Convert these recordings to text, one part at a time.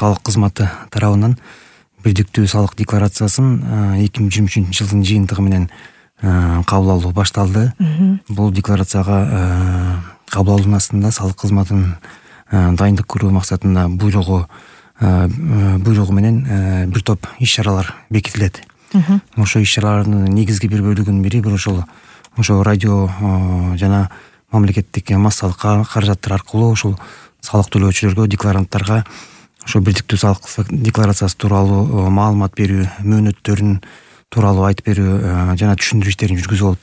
салык кызматы тарабынан бирдиктүү салык декларациясын 2023 жылдын жыйынтыгы менен кабыл алуу башталды. Бул декларацияга кабыл алуунун астында салык кызматынын дайындык көрүү максатында буйругу менен бир топ иш-чаралар бекитилет. Ошо иш-чаралардын негизги бир бөлүгүнүн бири ошо радио жана мамлекеттик массалык каражаттар аркылуу ушул салык төлөөчүлөргө, декларанттарга ошо бирдиктүү салык декларациясы тууралуу маалымат берүү, мөөнөттөрүн тууралуу айтып берүү жана түшүндүрүү иштерин жүргүзүү болуп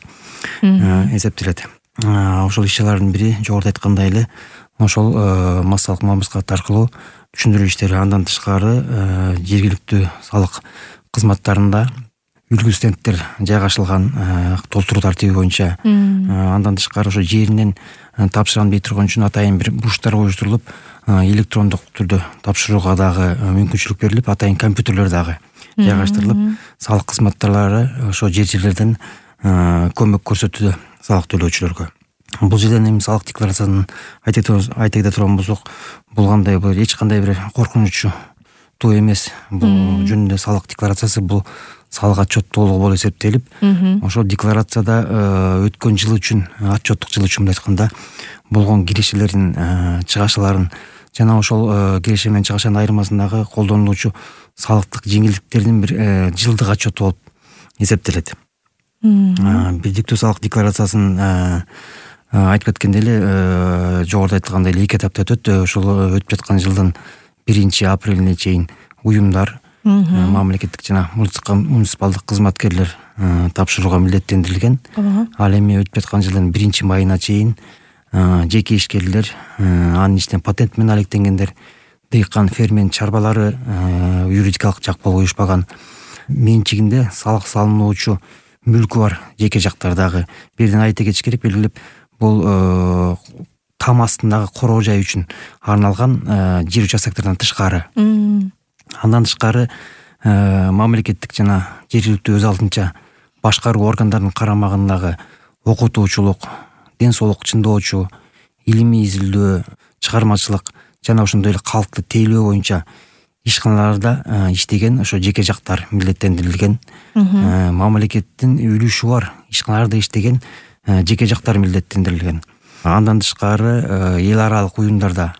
эсептелет. Ошол иш-чаралардын бири жогоруда айткандай эле ошол массалык маалымат аркылуу түшүндүрүү иштери. Андан тышкары жергиликтүү салык кызматтарында үлгү стендтер жайгашылган толтуруу тартиби боюнча. Андан тышкары ошо жеринен тапшырам дей турган үчүн атайын бир бурчтар коюштурулуп, электрондук түрдө тапшырууга дагы мүмкүнчүлүк берилип, атайын компьютерлер дагы жайгаштырылып, салык кызматтарлары ошо жерлерден көмөк көрсөтүүдө салык төлөөчүлөргө. Бул жерден эми салык декларациясын айта кете турган болсок, бул эч кандай бир коркунучтуу эмес. Бул жөнүндө салык декларациясы бул салык отчеттуулугу болуп эсептелип, ошол декларацияда өткөн жыл үчүн, отчеттук жыл үчүн айтканда болгон кирешелердин, чыгашаларын жана ошол киреше менен чыгашанын айырмасындагы колдонулуучу салыктык жеңилдиктердин бир жылдык отчету болуп эсептелет. Бирдиктүү салык декларациясын айтып кеткендей эле, жогоруда айтылгандай эле 2 этапта өтөт. Ошол өтүп жаткан жылдын 1-апрелине чейин уюмдар, мамлекеттик жана муниципалдык кызматкерлер тапшырууга милдеттендирилген. Ал эми өтүп жаткан жылдын 1-майына чейин жеке ишкерлер, анын ичинен патент менен алектенгендер, дыйкан, фермер чарбалары, юридикалык жак болуп уюшпаган, менчигинде салык салынуучу мүлкү бар жеке жактар дагы. Бирден айта кетиш керек, белгилеп, бул там астындагы короо жай үчүн арналган жер участоктордон тышкары. Андан тышкары мамлекеттик жана жергиликтүү өз алдынча башкаруу органдарынын карамагындагы окутуучулук, ден соолук чыңдоочу, илимий изилдөө, чыгармачылык жана ошондой эле калкты тейлөө боюнча ишканаларда иштеген ошо жеке жактар милдеттендирилген. Мамлекеттин үлүшү бар ишканаларда иштеген жеке жактар милдеттендирилген. Андан тышкары эл аралык уюмдарда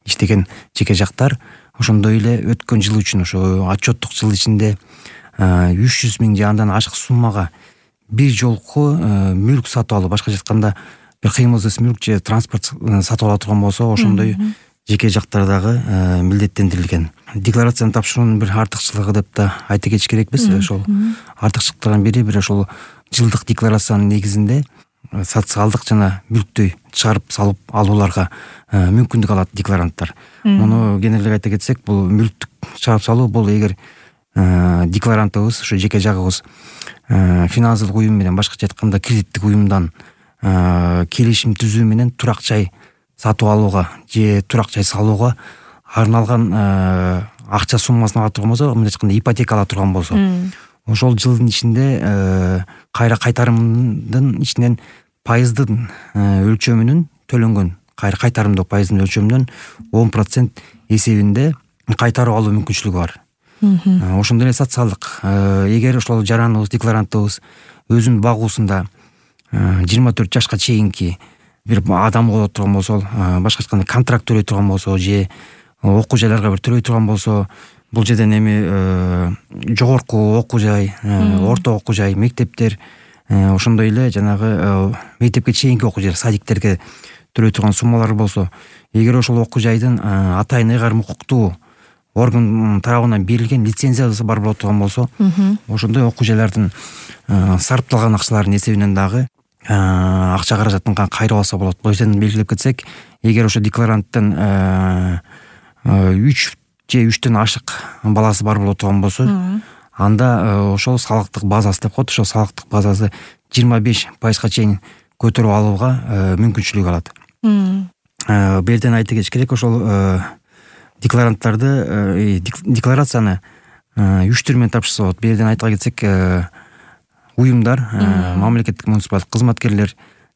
иштеген жеке жактар ошондой эле өткөн жыл үчүн, ошо отчеттук жыл ичинде 300 миң же андан ашык суммага бир жолку мүлк сатып алуу, башкача айтканда бир кыймылсыз мүлк же транспорт сатып ала турган болсо, ошондой жеке жактар дагы милдеттендирилген. Декларацияны тапшыруунун бир артыкчылыгы деп да айта кетиш керекпиз. Ошол артыкчылыктардын бири ошол жылдык декларациянын негизинде социалдык жана мүлктөй чыгарып салып алууларга мүмкүндүк алат декларанттар. Муну кененирээк айта кетсек, бул мүлктүк чыгарып салуу бул эгер декларантыбыз, ошо жеке жагыбыз финансылык уюм менен, башкача айтканда кредиттик уюмдан келишим түзүү менен турак жай сатып алууга же турак жай салууга арналган акча суммасын ала турган болсо, мындай айтканда ипотека ала турган болсо, ошол жылдын ичинде кайра кайтарымдын ичинен пайыздын өлчөмүнүн төлөнгөн, кайра кайтарымдуу пайыздын өлчөмүнөн 10% эсебинде кайтарып алуу мүмкүнчүлүгү бар. Ошондой эле социалдык, эгер ошол жараныбыз, декларантыбыз өзүнүн багуусунда 24 жашка чейинки бир адам боло турган болсо, башка айтканда контракт төлөй турган болсо же окуу жайларга бир төлөй турган болсо, бул жерден эми жогорку окуу жай, орто окуу жай, мектептер, ошондой эле жанагы мектепке чейинки окуу жай, садиктерге төлөй турган суммалар болсо, эгер ошол окуу жайдын атайын ыйгарым укуктуу орган тарабынан берилген лицензиясы бар боло турган болсо, ошондой окуу жайлардын сарпталган акчаларынын эсебинен дагы акча каражатын кайрып алса болот. Бул жерден белгилеп кетсек, эгер ошо декларанттын 3 же 3төн ашык баласы бар боло турган болсо, анда ошол салыктык базасы деп коет, ошол салыктык базасы 25%га чейин көтөрүп алууга мүмкүнчүлүк алат. Бул жерден айта кетиш керек, ошол декларацияны 3 түр менен тапшырса болот. Бул жерден айта кетсек, уюмдар, мамлекеттик муниципалдык кызматкерлер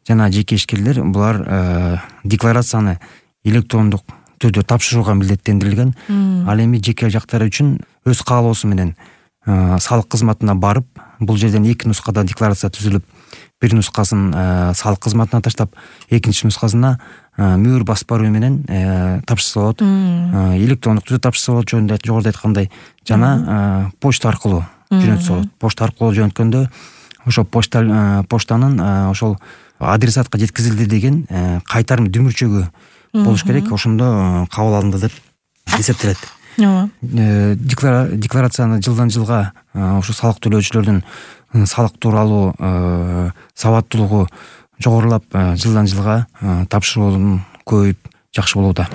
жана жеке ишкерлер булар декларацияны электрондук түрдө тапшырууга милдеттендирилген. Ал эми жеке жактары үчүн өз каалоосу менен салык кызматына барып, бул жерден 2 нускада декларация түзүлүп, бир нускасын салык кызматына таштап, экинчи нускасына мөөр басып баруу менен тапшырса болот. Электрондук түрдө тапшырса болот, жогоруда айткандай, жана почта аркылуу жөнөтсө болот. Почта аркылуу жөнөткөндө ошо почтанын ошол адресатка жеткизилди деген кайтарым дүмүрчөгү болуш керек. Ошондо кабыл алынды деп эсептелет. Декларацияны жылдан жылга ошо салык төлөөчүлөрдүн салык тууралуу сабаттуулугу жогорулап, жылдан жылга тапшыруунун көбөйүп жакшы болууда.